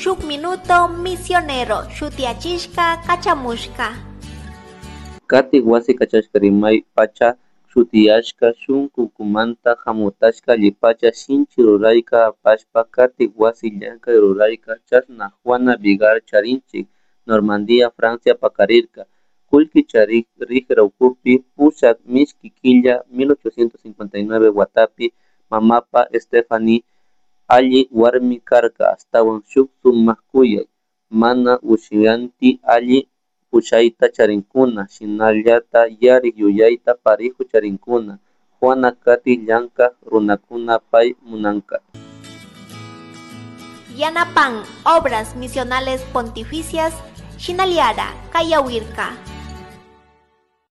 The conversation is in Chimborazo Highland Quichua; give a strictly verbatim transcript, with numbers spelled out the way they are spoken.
Shuk Minuto Misionero shutiyachishka kachamushka. Katik wasi kachashka rimay pacha shutiyashka shunkukumanta hamutashka allipacha shinchi rurayka apashpa katik wasi llankay rurayka chashna Juana Vigar charinchik Normandía Francia pakarirka kullki charik rikra ukupi pusak mishki killa mil ochocientos cincuenta y nueve watapi mamapa Stephanie alli warmi karka ashtawan shuk sumak kuyay mana ushiyanti alli pushayta charinkuna shinallata yarik yuyayta parihu charinkuna Juana kati llankak runakuna pay munanka. Yanapan Obras Misionales Pontificias Shinaliara Kayawirka.